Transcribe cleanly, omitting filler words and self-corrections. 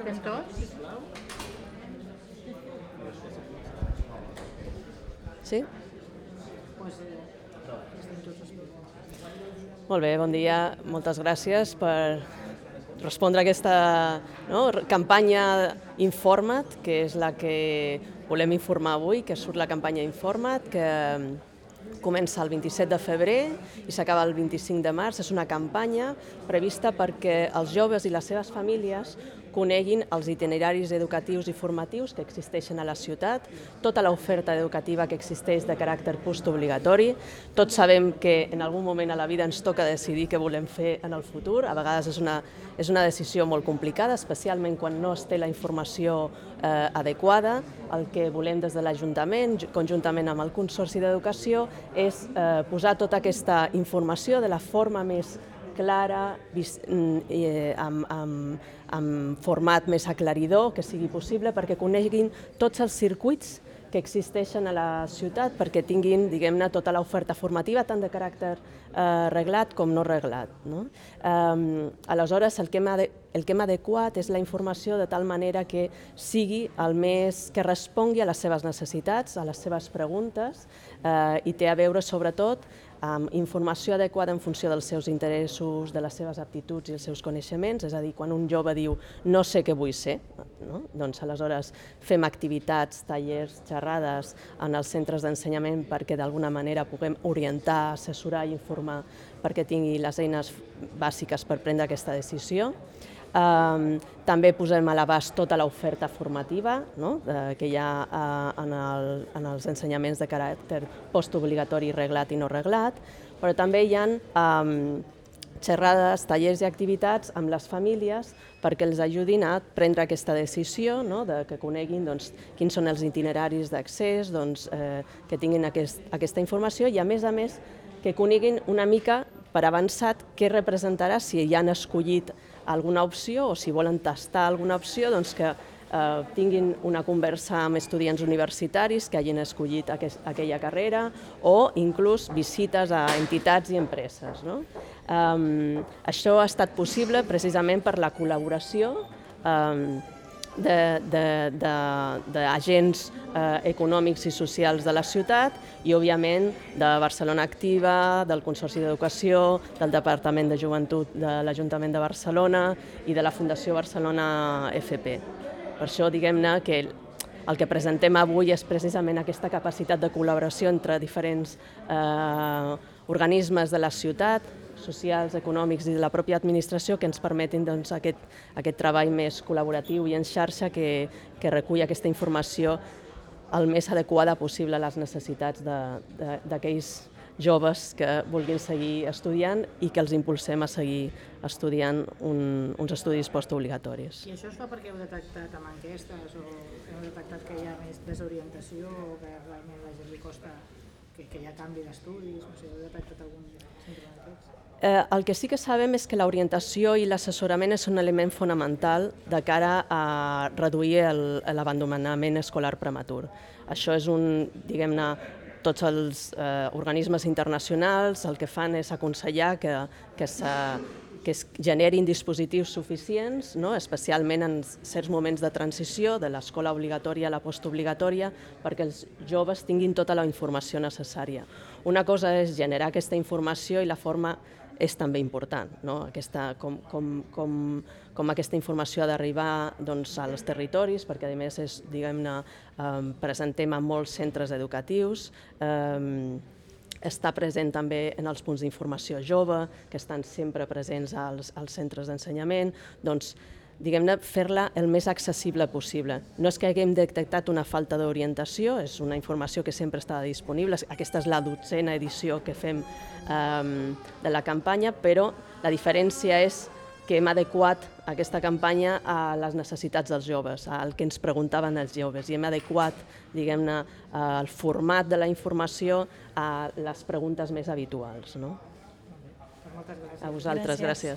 Estem tots? Sí? Estem tots. Molt bé, bon dia. Moltes gràcies per respondre a aquesta campanya Informa't, que és la que volem informar avui, que surt la campanya Informa't, que comença el 27 de febrer i s'acaba el 25 de març. És una campanya prevista perquè els joves i les seves famílies coneguin els itineraris educatius i formatius que existeixen a la ciutat, tota l'oferta educativa que existeix de caràcter postobligatori. Tots sabem que en algun moment a la vida ens toca decidir què volem fer en el futur. A vegades és una decisió molt complicada, especialment quan no es té la informació adequada. El que volem des de l'Ajuntament, conjuntament amb el Consorci d'Educació, és posar tota aquesta informació de la forma més clara, amb format més aclaridor que sigui possible, perquè coneguin tots els circuits que existeixen a la ciutat, perquè tinguin, diguem-ne, tota l'oferta formativa, tant de caràcter reglat com no reglat. Aleshores, el que hem adequat és la informació de tal manera que sigui que respongui a les seves necessitats, a les seves preguntes, i té a veure, sobretot, amb informació adequada en funció dels seus interessos, de les seves aptituds i els seus coneixements. És a dir, quan un jove diu no sé què vull ser, doncs aleshores fem activitats, tallers, xerrades en els centres d'ensenyament perquè d'alguna manera puguem orientar, assessorar i informar perquè tingui les eines bàsiques per prendre aquesta decisió. També posem a l'abast tota l'oferta formativa que hi ha en els ensenyaments de caràcter postobligatori reglat i no reglat, però també hi ha xerrades, tallers i activitats amb les famílies perquè els ajudin a prendre aquesta decisió, que coneguin quins són els itineraris d'accés, que tinguin aquesta informació i, a més, que coneguin una mica per avançat què representarà si ja han escollit alguna opció o si volen tastar alguna opció, que tinguin una conversa amb estudiants universitaris que hagin escollit aquella carrera o inclús visites a entitats i empreses. Això ha estat possible precisament per la col·laboració d'agents econòmics i socials de la ciutat i, òbviament, de Barcelona Activa, del Consorci d'Educació, del Departament de Joventut de l'Ajuntament de Barcelona i de la Fundació Barcelona FP. Per això, diguem-ne, que el que presentem avui és precisament aquesta capacitat de col·laboració entre diferents organismes de la ciutat, socials, econòmics i de la pròpia administració, que ens permetin aquest treball més col·laboratiu i en xarxa que recull aquesta informació el més adequada possible a les necessitats d'aquells joves que vulguin seguir estudiant i que els impulsem a seguir estudiant uns estudis postobligatoris. I això es fa perquè heu detectat amb enquestes o heu detectat que hi ha més desorientació o que realment a la gent li costa que hi ha canvi d'estudis? No sé, heu detectat algun símptoma d'aquests? El que sí que sabem és que l'orientació i l'assessorament és un element fonamental de cara a reduir l'abandonament escolar prematur. Això és diguem-ne, tots els organismes internacionals el que fan és aconsellar que es generin dispositius suficients, especialment en certs moments de transició de l'escola obligatòria a la postobligatòria, perquè els joves tinguin tota la informació necessària. Una cosa és generar aquesta informació i la forma és també important, com aquesta informació ha d'arribar als territoris, perquè a més presentem a molts centres educatius, està present també en els punts d'informació jove, que estan sempre presents als centres d'ensenyament, diguem-ne, fer-la el més accessible possible. No és que haguem detectat una falta d'orientació, és una informació que sempre està disponible. Aquesta és la 12a edició que fem de la campanya, però la diferència és que hem adequat aquesta campanya a les necessitats dels joves, al que ens preguntaven els joves, i hem adequat, diguem-ne, el format de la informació a les preguntes més habituals. Moltes gràcies. A vosaltres, gràcies.